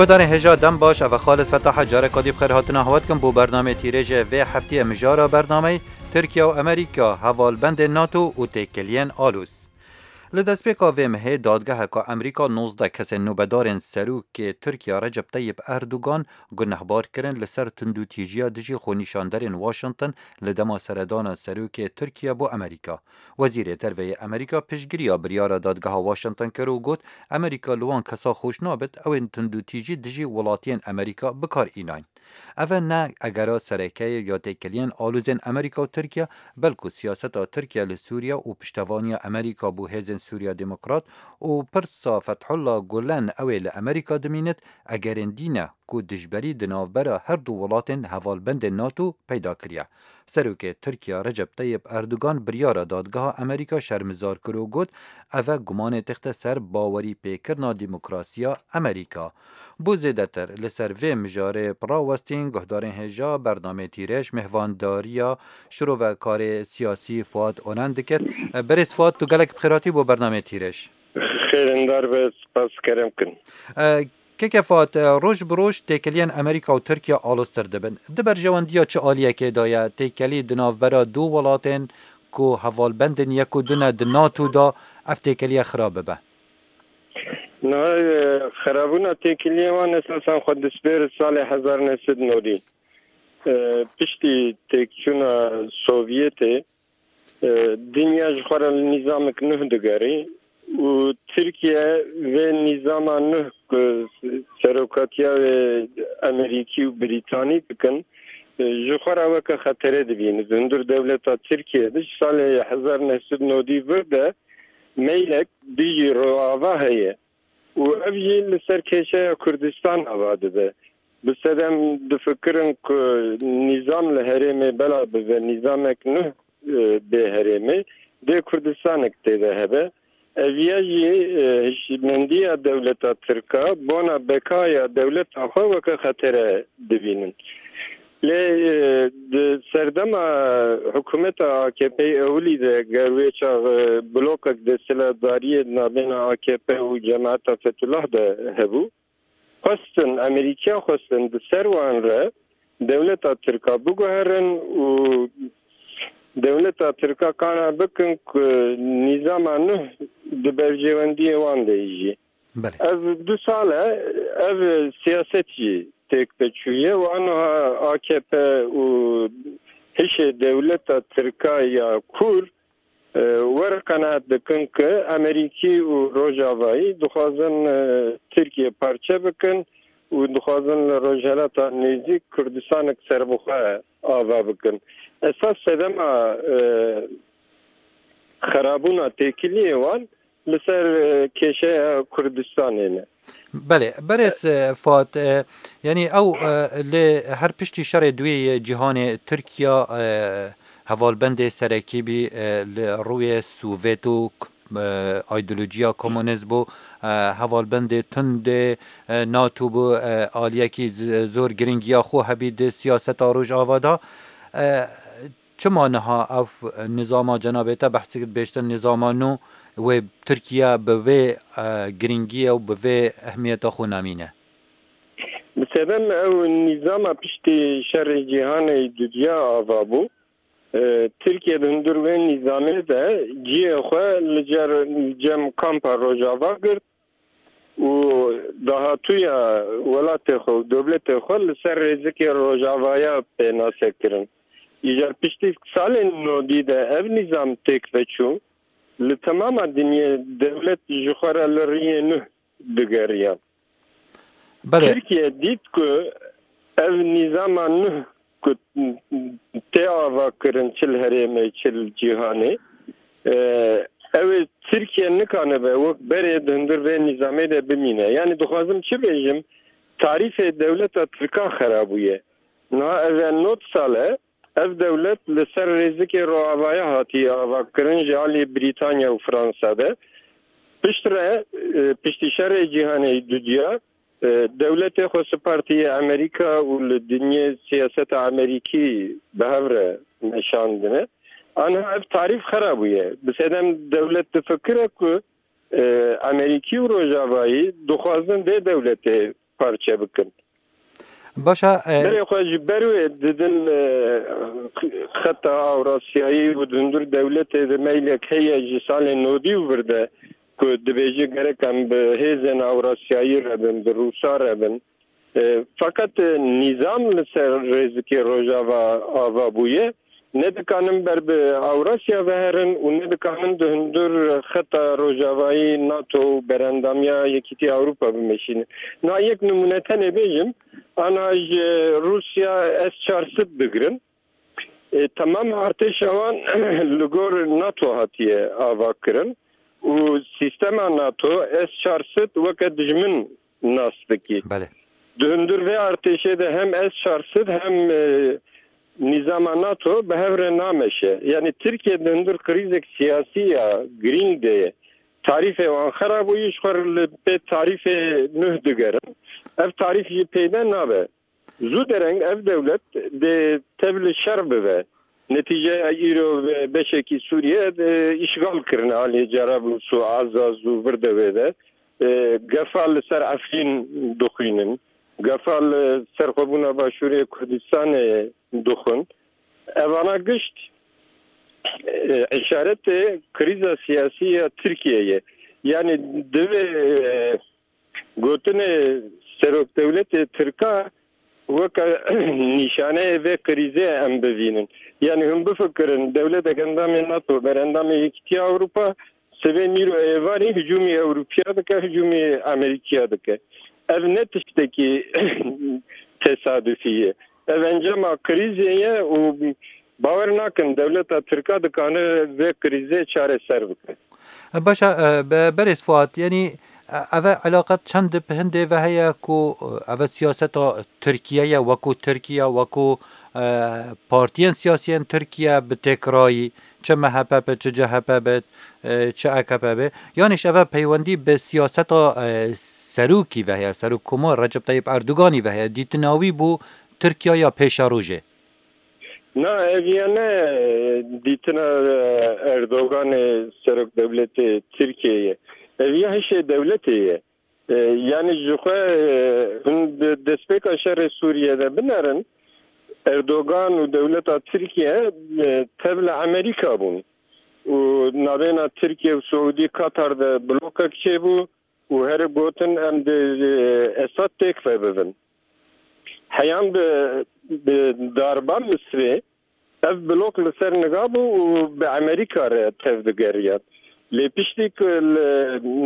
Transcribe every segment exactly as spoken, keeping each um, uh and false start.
Guhdarên hêja dem baş, ev e Xalid Fetah e, careka dî bi xêr hatina hewa dikim bo bernameyê tîrêjê vê heftiyê. Mijara bernameyê: Tirkiye û Amerîka, hevalbendên NATO û têkiliyên alûz. Li destpêka vê mehê dadgeheka Amerîka nozdeh kesên nobedarên serokê Tirkiye Recep Tayyip Erdogan gunehbar kirin li ser tundûtîjiya dijî xwenîşanderên Washington li dema seredana serokê Tirkiye bo Amerîka. Wezîrê Derve yê Amerîka piştgiriya biryara dadgeha Washington kir û got, Amerîka li wan kesa xweş nabit, ew ên tundûtîjî dijî welatiyên Amerîka bi kar înayn. Ev e ne egera sereke ye ya têkiliyên alûzên Amerîka û Tirkiye, belku siyaseta Tirkiye li Sûriye û piştevaniya Amerîka bo Hêzên Sûriya Demokrat û pirsa Fethullah Gulen ew ê li Amerîka dimînit, egerên dî ne ku dijberî di navbera her du welatên hevalbendên NATO peyda kiriye. Serokê Tirkiye Recep Tayyip Erdogan biryara dadgeha Amerîka şermizar kir û got, ev e gumanê texte ser bawerî pêkirina demokrasiya Amerîka. Bo zêdetir li ser vê mijarê bi rawestîn guhdarên hêja bernameyê tîrêj mêhvandariya şirovekarê siyasî Fuat Onan dikit. Berêz Fuat, tu gelek bi xêr hatî bo bernameyê tîrêj. Xêrindar be, spas kerem kin. E, Keke Fuat, e, roj bi roj têkiliyên Amerîka û Tirkiye aloztir dibin. Di berjewendiya çi aliyekê de ye têkilî di navbera du welatên ku hevalbendên yek û du ne di NATO de, ev têkiliye xirab bibe? Niha, e, xirabûna têkiliyê wan esasen xwe dispêr salê hezar neh sed nodî. E, piştî têkçûna Sovyetê, e, dinya ji xwe re li nîzamek nuh digerî û Tirkiye vê nîzama nuh ku serokatiya wê Amerîkî û Brîtanî dikin, e, ji xwe re weke xetere dibîne. Di hundir dewleta Tirkiye de ji salê hezar neh sed nodî vir de meylek dijî Rojava heye û ev jî li ser kêşeya Kurdistan ava dibe. Bi sedem difikirin ku nîzam li herêmê bela bibe, nîzamek nuh, e, bê herêmê, dê Kurdistanek tê de hebe. Ev ya jî, e, hişmendiya dewleta Tirka, bona bekaya dewleta xwe weke xetere dibînin. Lê, e, di serdema hikûmeta A K P ewilî de, ger wê çax, e, blokek desthilatdariyê di navbêna A K P û cemaeta Fethullah de hebû, xwestin, Amerîkiya xwestin di ser wan re dewleta Tirka biguherin û dewleta Tirka kana bikin ku nîzama nuh di berjewendiyê wan de jî. Belê. Ev du sal e, ev siyaset jî têk de çûye û aniha A K P û hişê dewleta Tirka ya kûr, e, were qenaet dikin ku Amerîkî û Rojavayî dixwazin, e, Tirkiye parçe bikin û dixwazin li Rojhilata Nêzîk Kurdistanek serbixwe ava bikin. Esas sedema, e, xerabûna têkiliyê wan li ser, e, kêşeya Kurdistanê ne. Belê, berêz, e, Fuat, e, yanî ew, e, lê her piştî şerê duyê yê cîhanê Tirkiya, e, hevalbendê serekî bî, e, li rûyê Sovêt û, e, aydolojiya komunîst bû, e, hevalbendê tundê, e, NATO bû, e, aliyekî z-, zor giringiya xwe hebî di siyaseta Rojava de. E, Çima niha ev nizama cenabê te behs dikit, bêştir nizama nû wê Tirkiye bi vê, e, giringiyê û bi vê ehmiyeta xwe namîne? Bi sedem ew nîzama piştî şerê cîhanê dudiya ava bû. E, Tirkiye di hundir wê nîzamê de cihê xwe li cer, cem kampa Rojava girt û dahatûya welatê xwe û dewletê xwe li ser rêzikê Rojavaya pênase kirin. Îcar piştî salên nodî de ev nîzam têk veçû, li temama dinyê dewlet ji xwe re li riyê nuh digeriyan. Belê. Tirkiye dît ku ev nîzama nuh ku tê ava kirin çi li herêmê, çi li cîhanê, e, ew ê Tirkiye nikanibe wek berê di hundir vê nîzamê de bimîne. Yanî dixwazim çi bêjim, tarîfê dewleta Tirka xera bûye. Niha ev e nod sal e, ev dewlet li ser rêzikê Rojavayê hatiye avakirin ji alî Brîtanya û Fransa de. Piştre, e, piştî şerê cîhanê dudiya, e, dewletê xwe sipartiye Amerîka û li dinyê siyaseta Amerîkî bi hev re meşandine. Aniha ev tarîf xera bûye. Bi sedem dewlet difikire ku, e, Amerîkî û Rojavayî dixwazin vê dewletê parçe bikin. Baş e, Berê xwe ji ber wê didin, e, xeta Ewrasyayî û di hundir dewletê de meylek heye ji salên nodî û vir de ku dibêje gerek em bi hêzên Ewrasyayî re bin, bi Rûsa re bin. E, feqet, e, nîzam li ser rêzikê Rojava ava bûye. Ne dikanin ber bi Ewrasya ve herin û ne dikanin di hundir xeta Rojavayî NATO û berendamiya Yekîtiya Ewropa bimeşînin. Na yek nimûne tenê bêjim, ana ji Rûsya S çar sed digirin. E, temam artêşa wan li gor NATO hatiye avakirin û sîstema NATO S çar sed weke dijmin nas dikî. Belê. Di hundir vê artêşê de hem S çar sed hem, e, nîzama NATO bi hev re nameşe. Yanî Tirkiye di hundir krîzek siyasî ya girîng de ye. Tarîfê wan xera bûyî, ji xwe re li pê tarîfê nuh digerin. Ev tarîf jî peyde nabe. Zû dereng ev dewlet dê tev li şer bibe. Netîceya îro ve beşekî Sûriye, e, îşgal kirine aliyê Cerablus û Azaz û vir de wê de. E, gefa li ser Efrîn dixwînin. Gefa li serxwebûna Başûrê Kurdistanê dixwin. Evana gişt, e, îşaretê krîza siyasî ya Tirkiyeyê ye. Yanî divê, e, gotinê serokdewletê Tirka weke nîşaneyê vê krîzê em bivînin. Yanî hûn bifikirin, dewletek endamê NATO, berendamê Yekîtiya Ewropa, sibê mîr û êvarî hicûmî Ewropiya dike, hicûmî Amerîkiya dike. Ev ne tiştekî tesadufî ye. Ev encama krîzê ye û bawer nakin dewleta Tirka dikane vê krîzê çareser bike. Baş e, be-, berêz Fuat, yanî, e, ev e elaqet çend bi hindê ve heye ku, e, ev e siyaseta Tirkiye ye, wekû Tirkiye, wekû, e, partiyên siyasiyên Tirkiye bi têkrayî, çi M H P bit, çi C H P bit, e, çi A K P be, yanî ji ev e peywendî bi siyaseta, e, serokî ve heye, serokkomar Recep Tayyip Erdoganî ve heye, dîtina wî bo Tirkiye ya pêşerojê? Na, ev ya ne, e, dîtina, e, Erdoganê serokdewletê Tirkiyeyê ye. Ev ya hişê dewletê ye. E, yanî ji xwe, e, hûn di destpêka şerê Sûriye de binerin, Erdogan û dewleta Tirkiye, e, tev li Amerîka bûn. Û navêna Tirkiye û Siûdî Katar de blokek çêbû û here gotin, em dê, e, Esad têk ve bibin. Heyan bi, bi darba Misrê ev blok li ser niga bû û bi Amerîka re tev digeriyan. Lê piştî ku li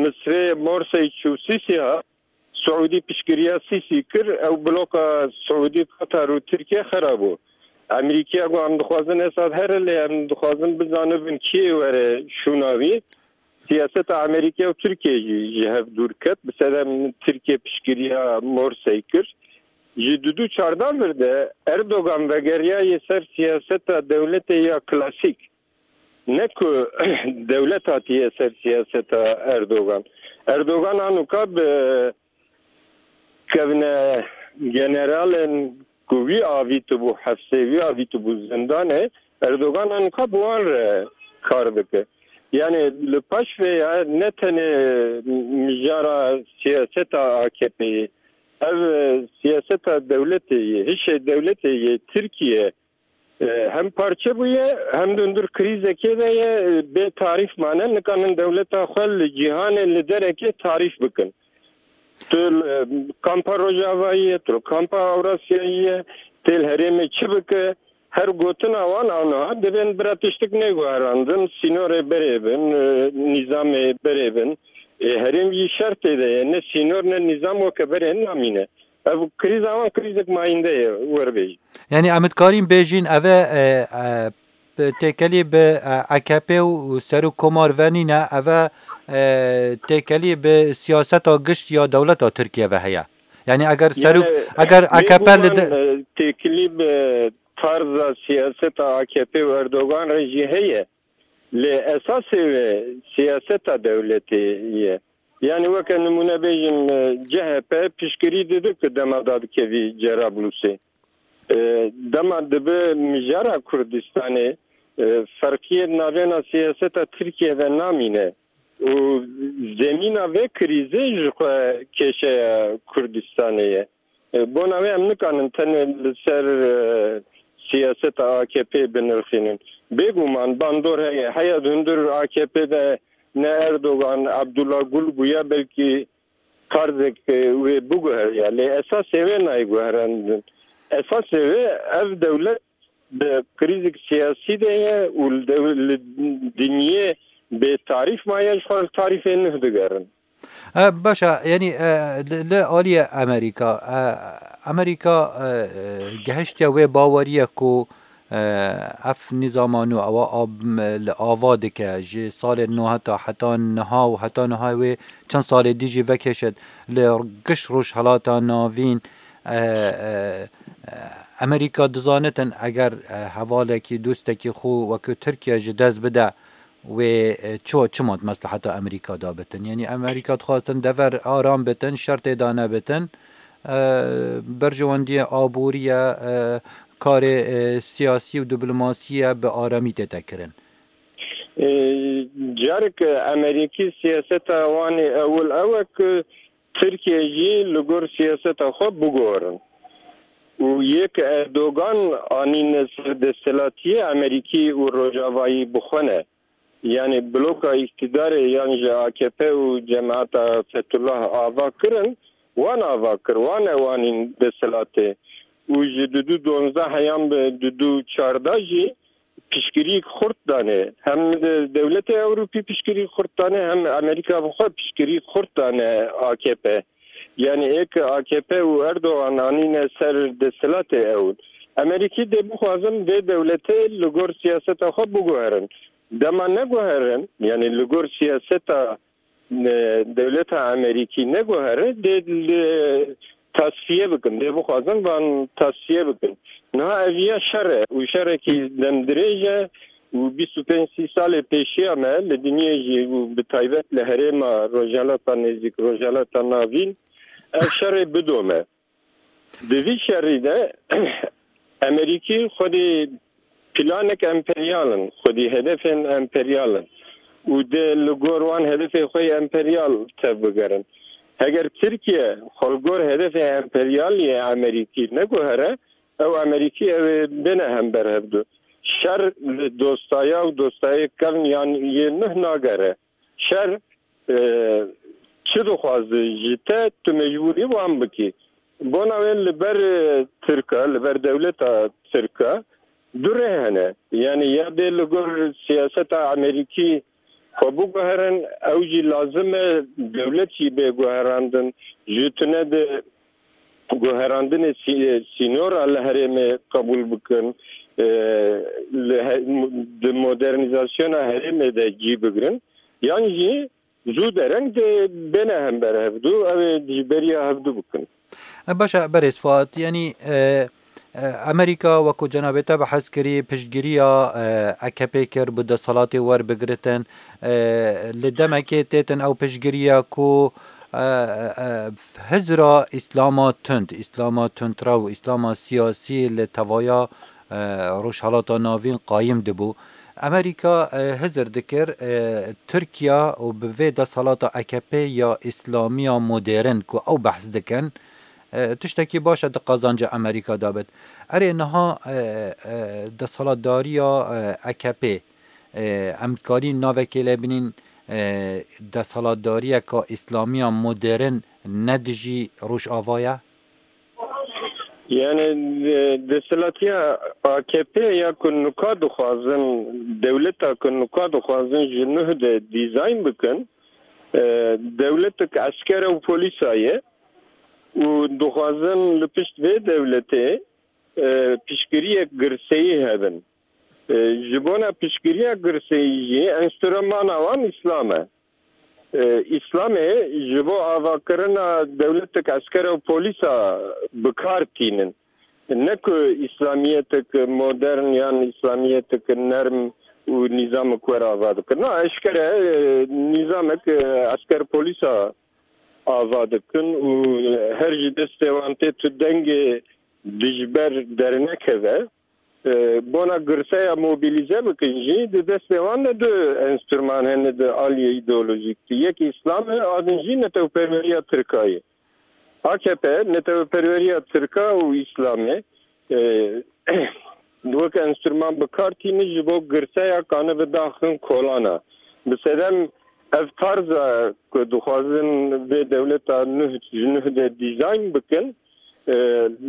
Misrê Morsey çû Sîsî hat, Siûdî piştgiriya Sîsî kir, ew bloka Siûdî, Katar û Tirkiye xera bû. Amerîkiya got, em dixwazin Esad here, lê em dixwazin bizanibin kê were şûna wî. Siyaseta Amerîka û Tirkiye jî ji hev dûr ket. Bi sedem Tirkiye piştgiriya Morsey kir. Ji du du çarda vir de Erdogan vegeriyaye ser siyaseta dewletê ya klasîk. Ne ku dewlet hatiye ser siyaseta Erdogan. Erdogan anûka bi kevne generalên ku wî avîtibû hefsê, wî avîtibû zindanê, Erdogan anka bi wan re kar dike. Yanî li paş vê ya ne tenê mijara siyaseta A K P'yê, ev, e, siyaseta dewletê yê, hişê dewletê yê Tirkiye, e, hem parçe bûye, hem di hundir krîzekê de ye, e, bê tarîf mane, nikanin dewleta xwe li cîhanê li derekê tarîf bikin. Tu li, e, kampa Rojavayî ye, tu li kampa Ewrasyayî ye, tê li herêmê çi bike, her gotina wan a niha dibên bira tiştik neguherandin, sînorê berê bin, e, nîzamê berê bin. E, herêm jî şer tê de ye, ne sînor ne nîzam weke berê namîne. Ev krîza wan krîzek mayînde ye, werbêjin. Yanî em dikarîn bêjin ev e, e, e, têkelî bi, e, A K P û serokkomar ve nîne, ev e, e, têkelî bi siyaseta gişt ya dewleta Tirkiye ve heye. Yanî eger serok, Yanî, eger A K P li de, e, têkilî bi tarza siyaseta A K P û Erdogan re jî heye. Lê esasê wê siyaseta dewletê ye. Yanî weke nimûne bêjim, e, C H P piştgirî dide ku dema dadikevî Cerablusê. E, dema dibe mijara Kurdistanê, e, ferqiyê navêna siyaseta Tirkiye de namîne. Û zemîna vê krîzê ji xwe kêşeya Kurdistanê ye. E, bona wê em nikanin tenê li ser, e, siyaseta A K P binirxînin. Bêguman bandor heye. Heya di hundir A K P de ne Erdogan, Abdullah Gül bûya, belkî karzek, e, wê biguheriya. Lê esasê wê nayê guherandin. Esasê wê ev dewlet di krîzik siyasî de ye û li dew-, li dinyê bêtarîf maye, ji xwe li tarîfê nuh digerin. E, baş e, yanî, e, li, li aliyê Amerîka, e, Amerîka, e, e, gehiştiye wê baweriye ku, e, ev nîzama nû ewa ab-, li ava dike, ji salê nû heta, heta niha û heta niha wê çend salê dî jî vekêşit, li giş Rojhelata Navîn, e, e, e, Amerîka dizanitin eger, e, hevalekî, dostekî xwe wekî Tirkiye ji dest bide, wê, e, ço, çima di mesleheta Amerîka de bitin? Yanî Amerîka dixwastin dever aram bitin, şertê de nebitin, e, berjewendiyê aborî ye, e, karê, e, siyasî û diplomasî ye bi aramî tête kirin. E, carek Amerîkî siyaseta wan ê ewil ew e ku Tirkiye jî li gor siyaseta xwe biguherin. Û yê ku Erdogan anîne ser desthilatiyê Amerîkî û Rojavayî bi xwe ne. Yanî bloka îktîdarê yan ji A K P û cemaeta Fethullah ava kirin, wan ava kir, wan ew anîn desthilatê. Û ji du du donzdeh heyan bi du du çardeh jî piştgirîk xurt dane. Hem de dewletê Ewropî piştgirîk xurt dane, hem Amerîka bi xwe piştgirîk xurt dane A K P. Yanî ê ke A K P û Erdogan anîne ser desthilatê ew. Amerîkî dê bixwazin vê dewletê li gor siyaseta xwe biguherin. Dema neguherin, yanî li gor siyaseta e, dewleta Amerîkî neguhere, dê li tasfiye bikin, dê bixwazin van tasfiye bikin. Niha ev ya şer e û şerekî demdirêj e û bîst û pênc sî salê pêşiya me li dinyê jî û bi taybet li herêma Rojhelata Nêzîk, Rojhelata Navîn ev şerê bidome. Di vî şerî de Amerîkî xwedî planek emperyal in, xwedî hedefên emperyal in û dê li gor wan hedefê xwe yê emperyal tevbigerin. Heger Tirkiye xwe li gor hedefê emperyal yê Amerîkî neguhere, ew Amerîkî ew ê bêne hember hevdu. Şer li dostaya û dostayê kevn yan yê nuh nagere. Şer, e, çi dixwaze ji te, tu mecbûrî wan bikî. Bona wê li ber, e, Tirka, li ber dewleta Tirka du rê hene. Yanî ya dê li gor siyaseta Amerîkî xwe biguherin, ew jî lazim e dewlet jî bê guherandin. Ji tune di guherandinê sî-, sînora li herêmê qebûl bikin, e, li he-, di modernîzasyona herêmê de cî bigrin, yan jî zû dereng dê bêne hember hevdu, ew ê dijberiya hevdu bikin. E, baş e, berêz Fuat, yanî, e, e, Amerîka wekû cenabê te behs kirî, piştgiriya, e, A K P kir, bi desthilatê werbigiritin, e, li demekê têtin ew piştgiriya ku, e, e, hizra Îslama tund, Îslama tundrew, Îslama siyasî li tevaya, e, Rojhelata Navîn qayîm dibû. Amerîka, e, hizir dikir, e, Tirkiya û bi vê desthilata A K P ya Îslamiya modern ku ew behs dikin, e, tiştekî baş e di qazanca Amerîka de bit. Erê niha, e, e, desthilatdariya, e, A K P, e, em dikarîn navekê lê binîn, e, desthilatdariyeka Îslamiya modern ne dijî Rojava ye? Yani, e, desthilatiya A K P ya ku nuka dixwazin, dewleta ku nuka dixwazin ji nuh de dîzayn bikin, e, dewletek esker û polîsa ye û dixwazin li pişt vê dewletê, e, piştgiriyek girseyî hebin. E, ji bona piştgiriya girseyî jî enstrumana wan Îslam e. E, Îslamê ji bo avakirina dewletek esker û polîsa bi kar tînin. Ne ku Îslamiyetek modern yan Îslamiyetek nerm û nîzamek were ava dikin. Na, eşkere, e, nîzamek, e, esker polîsa ava dikin û her ji destê wan tê tu dengê dijber dernekeve. e, bona girseya mobilize bikin jî, di destê wan de du enstrûman hene di aliyê îdeolojîk de. Yek Îslam e, a din jî netewperweriya Tirka ye. A K P, netewperweriya Tirka û Îslamê, e, wek enstrûman bi kar tînin ji bo girseya kanibe daxin kolana. Bi sedem ev tarza ku dixwazin vê dewleta nuh ji nuh de dîzayn bikin, e,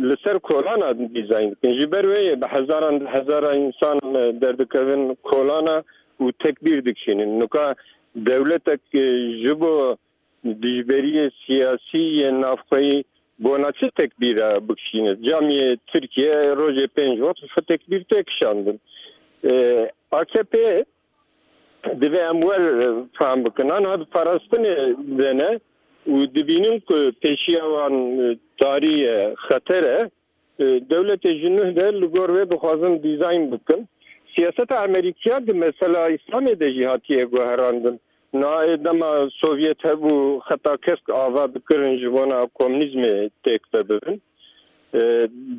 li ser kolana dîzayn dikin. Ji ber wê yê bi hezaran, bi hezaran însan, e, derdikevin kolana û tekbîr dikişînin. Nika dewletek, e, ji bo dijberiyê siyasî yê navxweyî bona çi tekbîra bikişîne? Camiyê Tirkiye rojê pênc wext xwe tekbîr tê kişandin. E, A K P divê em wer, e, fehm bikin. Anha di parastinê de ne û dibînin ku pêşiya wan, e, tarî ye, xeter e. E, dewletê ji nuh de li gor wê dixwazin dîzayn bikin. Siyaseta Amerîkiya di mesela Îslamê de jî hatiye guherandin. Nayê dema Sovyet hebû, xeta kesk ava dikirin ji bona komînîzmê têk vebibin. E,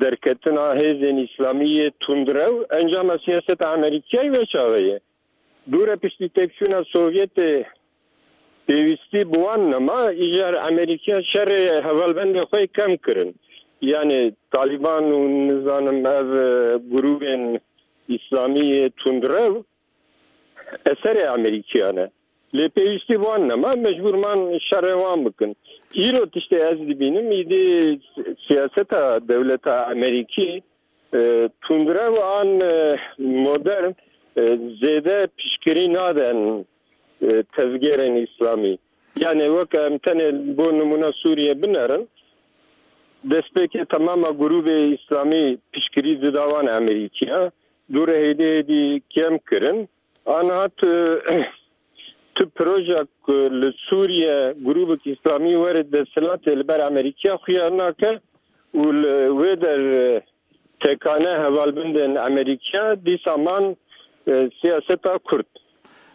derketina hêzên Îslamî yê tundrew encama siyaseta Amerîkiyayê wê çaxê ye. Dû re piştî têkçûna Sovyetê pêwîstî bi wan nema, îcar Amerîkiya şerê hevalbendê xwe yê kem kirin. Yanî Talîban û nizanim ev, e, grûbên Îslamî yê tundrew eserê Amerîkiya ne. Lê pêwîstî bi wan nema, mecbûr man şerê wan bikin. Îro tiştê ez dibînim, îdî siyaseta dewleta Amerîkî, e, tundrew an, e, modern, e, zêde piştgirî naden, e, tevgerên Îslamî. Yanî weke em tenê bo nimûne Sûriye binerin, destpêkê temama grûbê Îslamî piştgirî dida wan Amerîkiya, dû re hêdî hêdî kêm kirin. Aniha tu, tu proje ku li Sûriye grûbek Îslamî were desthilatê li ber Amerîkiya xuya nake û li wê der, e, tekane hevalbendên Amerîkiya dîsa man, e, siyaseta Kurd.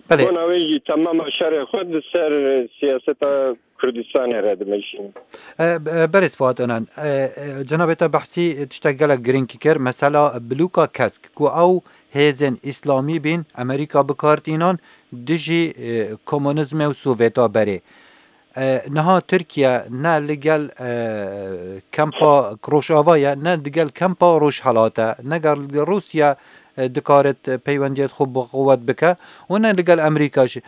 Belê. Bona wê jî temama şerê xwe di ser, e, siyaseta Kurdistanê re dimeşînin. E, e, Berêz Fuat Onan, e, e, cenabê te behsî tiştek gelek girîng kir. Mesela bloka Kesk ku ew hêzên îslamî bîn, Amerîka bi kar tînan dijî, e, komunîzmê û Sovêta berê. E, niha Tirkiye ne li gel, e, kempa Rojava ye, ne li gel kempa Rojhelat e, ne gel Rûsya, e, dikarit peywendiyet xwe bi quwet bike û ne li gel Amerîka jî.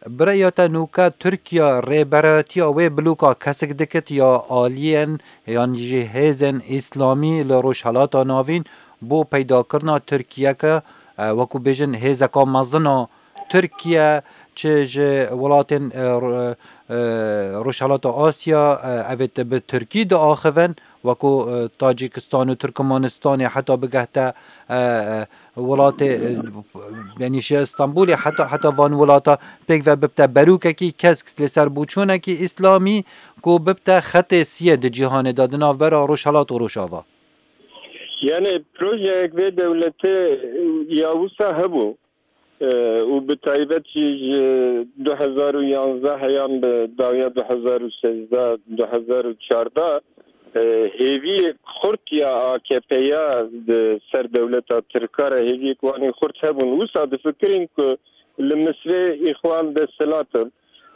Bi rêya te nûke Tirkiye rêberatiya wê bloka Kesk dikit ya aliyên yan jî hêzên îslamî li Rojhelata Navîn bo peydakirina Tirkiyeke, e, wekû bêjin hêzeka mezin a Tirkiye, çi ji welatên, e, ro-, e, Rojhelata Asya, e, evê te bi Tirkî diaxivin, wekû, e, Tacîkistan û Tirkmenistanê heta bigehte, e, e, welatê, e, yanî ji Stenbolê heta, heta van welata pêk ve bibte berûkekî Kesk li ser boçûnekî îslamî ku bibte xetê siyê di cîhanê de di navbera Rojhelat û Rojava. Yanî projeyek vê dewletê ya wisa hebû, e, û bi taybet jî ji du hezar û yanzdeh heyan bi dawiya du hezar û sêzdeh, du hezar û çardeh, e, hêviyek xurt ya A K P'ya di ser dewleta Tirka re hêviyek wanî xurt hebûn. Wisa difikirîn ku li Misrê Îxwan desthilat in,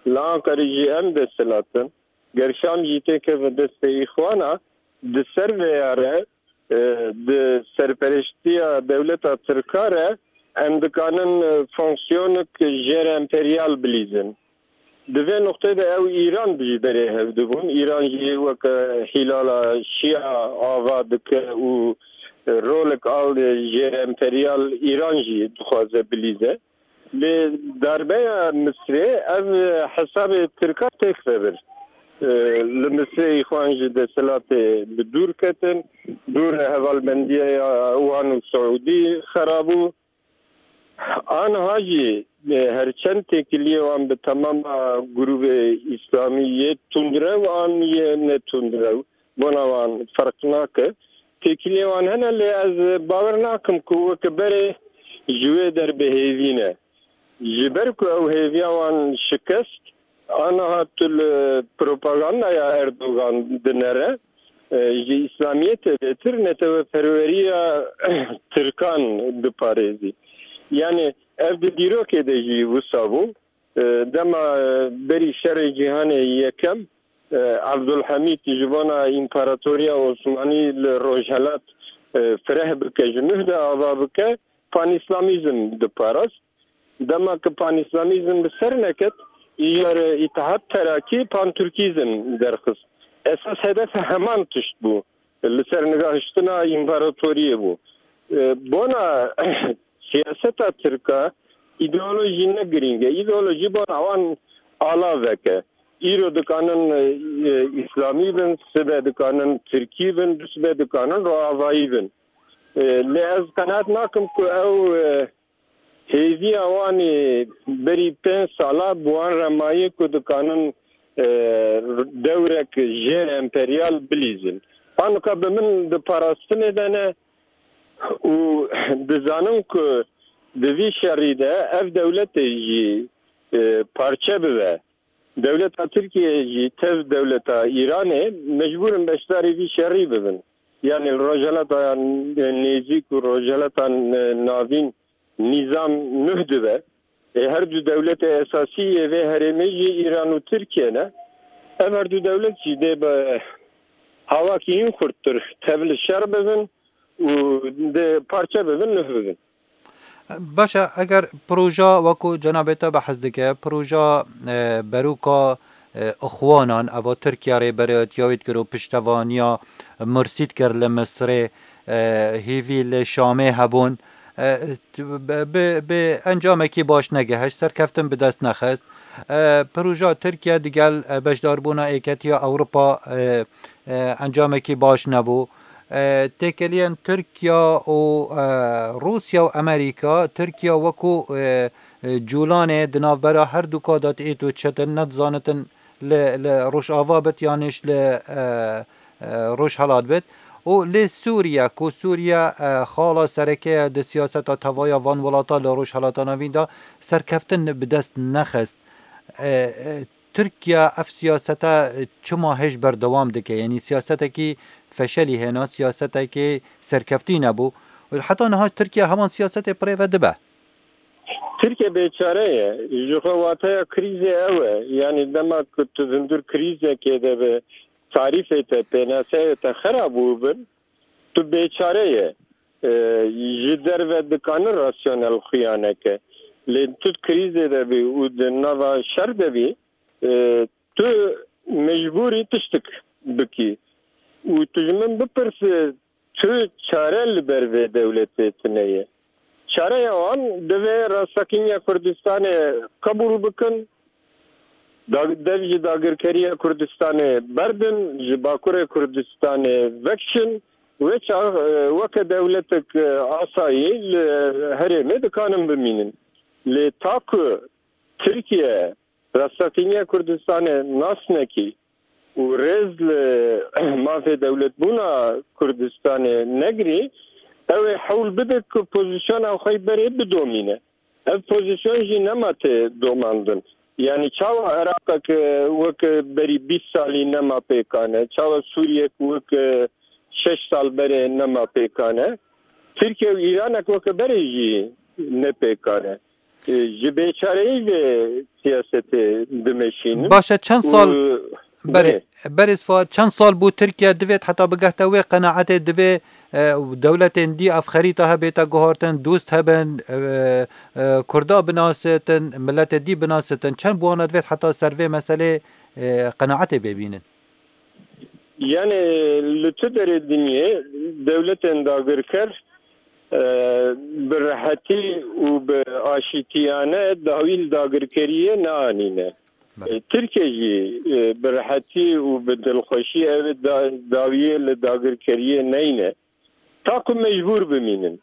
li Anqerê jî em desthilat in. Ger Şam jî têkeve destê Îxwana, di ser vêya re, e, di serpereştiya dewleta Tirka re em dikanin, e, fonksiyonek jêremperyal bilîzin. Di vê nuqtê de ew Îran jî berê hev dibûn. Îran jî weke Hîlala Şîa ava dike û, e, rolek al jêremperyal Îran jî dixwaze bilîze. Lê darbeya Misrê ev hesabê Tirka têk vebir. E, li Misrê Îxwan ji desthilatê bi dûr ketin, dûr hevalbendiya wan û Siûdî xera bû. Aniha jî, e, her çend têkiliyê wan bi temama grûbê Îslamî yê tundrew an yê ne tundrew, bona wan ferq nake. Têkiliyê wan hene, lê ez bawer nakim ku weke berê ji wê der bi hêvî ne. Ji ber ku ew hêviya wan şikest, aniha tu li propagandaya Erdogan dinere, e, ji Îslamiyetê bêtir neteweperweriya Tirkan diparêzî. Yani ev di dîrokê de jî wisa bû. E, dema, e, berî şerê cîhanê yekem, e, Abdulhamîd ji bona Împaratoriya Osmanî li Rojhelat, e, fireh bike, ji nuh de ava bike, panîslamîzm diparast. Dema ku panîslamîzm bi ser neket, îjar Îtihat Terakî panturkîzm derxist. Esas hedefe heman tişt bû. Li ser nigahiştina împaratoriyê bû. E, bona siyaseta tirka, îdeolojî ne girîng e. Îdeolojî bona wan alavek e. Îro dikanin, e, e, îslamî bin, sibe dikanin tirkî bin, dusibe dikanin roavayî bin. E, lê ez qenaet nakim ku ew, e, hêviya wan ê berî pênc sala bi wan re maye ku dikanin, e, dewrek jêr emperyal bilîzin. Anika bi min di parastinê de ne û dizanin ku di vî şerî de ev dewletê jî, e, parçe bibe. Dewleta Tirkiyeyê jî tev dewleta Îranê mecbûr in beşdarî vî şerî bibin. Yani li Rojhelata Nêzîk û Rojhelata Navîn nîzam nuh dibe. Ê her du dewletê esasî yê vê herêmê jî Îran û Tirkiye ne. Ev her du dewlet jî dê bi hawakî hin xurttir tev li şer bibin û dê parçe bibin, nuh bibin. Baş e, eger proja wekû cenabê te behs dike, proja, e, beroka, e, Ixwanan, eva Tirkiye Rêberê Etiya wê dikir û piştevaniya Mursî dikir li Misirê, e, hêvî li Şamê hebûn, e, bi, bi, bi encamekî baş negihişt, serkeftin bi dest nexist. E, proja Tirkiye digel, e, beşdarbûna Êketiya Ewropa, e, e, encamekî baş nebû. E, têkeliyên Tirkiye û, e, Rûsya û Amerîka, Tirkiye wekû, e, e, cûlanê di navbera her du ka de êt û çetin nedizanitin li, li Rojava bit yan jî li, e, e, Rojhelat bit. Û lê Sûriye, ku Sûriye, e, xala sereke ye di siyaseta tevaya van welata li Rojhelata Navîn de serkeftin bi dest nexist. E, e, Tirkiye ev siyasete, e, çima hêj berdewam dike? Yanî siyasetekî feşelî hêna, siyasetekî serkeftî nebû. Heta niha Tirkiye heman siyasetê bi rê ve dibe. Tirkiye bêçare ye. Ji xwe wateya krîzê ew e. Yanî dema ku tu hundir krîzekê de bi tarîfê te, pênaseyê te xera bûbin, tu bêçare ye. E, ji derve dikanin rasyonel xuya neke. Lê tu di krîzê de bî û di nava şer de bî, e, tu mecbûrî tiştik bikî. Û tu ji min bipirsî, tu çare li ber vê dewletê tune ye. Çareya wan divê Rastsekinîya Kurdistanê qebûl bikin, da-, dev ji dagirkeriya Kurdistanê berdin, ji Bakurê Kurdistanê vekişin, wê çax, e, weke dewletek, e, asayî li herêmê dikanin bimînin. Lê ta ku Tirkiye Rastsekinîya Kurdistanê nas nekî û rêz li mafê dewletbûna Kurdistanê negirî, ew ê hewl bide ku pozîsyona xwe yî berê bidomîne. Ev pozîsyon jî nema tê domandin. Yanî çawa Iraqek wek berî bîst salî nema pêkan e, çawa Sûriyek wek şeş sal berê nema pêkan e, Tirkiye û Îranek wek berê jî ne pêkan e. E, ji bêçareyî vê siyasetê dimeşînin. Baş e, çend sal, û berê, berê, berê Sfa, çend sal bû Tirkiye divêt heta bigehte wê qenaetê, divê, e, dewletên dî ev xerîta hebête guhartin, dost hebin, e, e, Kurda binasitin, miletê dî binasitin. Çend bi wana divêt heta ser vê meselê, e, qenaetê bê bînin? Yani li tu derê dinyê dewletên dagirker, e, bi rehetî û bi aşîtiyane dawî li dagirkeriyê neanîne. Belê. E, Tirkiye jî, e, bi rehetî û bi dilxweşî ev da-, dawiyê li dagirkeriyê neyne. Ta ku mecbûr bimînin.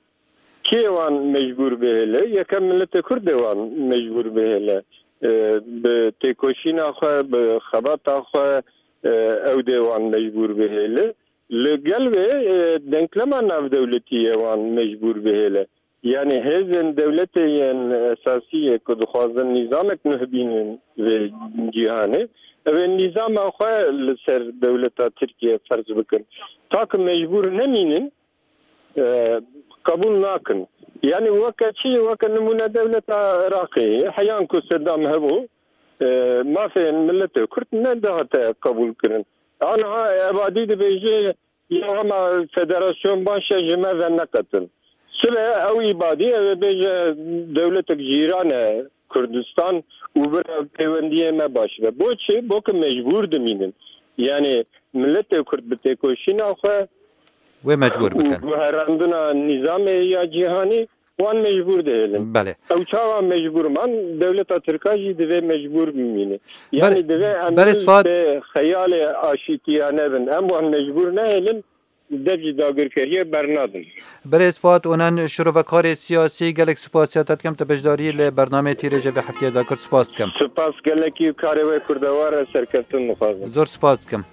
Kê wan mecbûr bihêle? Yekem miletê Kurd ê wan mecbûr bihêle. E, bi têkoşîna xwe, bi xebata xwe, e, ew dê wan mecbûr bihêle. Li gel vê, e, denklema navdewletî ye wan mecbûr bihêle. Yani hêzên dewletê yên esasî yê ku dixwazin nîzamek nuh bînin vê cîhanê, Ew ê nîzama xwe li ser dewleta Tirkiye ferz bikin. Ta ki mecbûr nemînin, e, qebûl nakin. Yani weke çi, weke nimûne dewleta Iraqê, heyan ku Sedam hebû, e, mafên miletê Kurd nedihate qebûl kirin. Aniha Ebadî dibêje, ya hema federasyon baş e, ji me ve neqetin. Sibe ew îbadî, ew ê bêje dewletek cîran e Kurdistan û bira pêwendiyê me baş be. Bo çi? Bo ki mecbûr dimînin. Yani miletê Kurd bi têkoşîna xwe Wê mecbûr û bikin. guherandina nîzamê ya cîhanî wan mecbûr dihêlin. Belê. Ew çawa mecbûr man, dewleta Tirka jî divê mecbûr bimîne. Yani Ber-, divê em Berêz Fat- bi xeyalê aşîtiyane bin. Em wan mecbûr nehêlin, dev ji dagirkeriyê bernadin. Berêz Fat Onan, şirovekarê siyasî, gelek spasiya te dikim, tu beşdarî li bernameyê Tîrêjê vê hefteyê de kir. Spas dikim. Spas gelekî, karê we kurdewar e, serkeftin dixwazim. Zor spas dikim.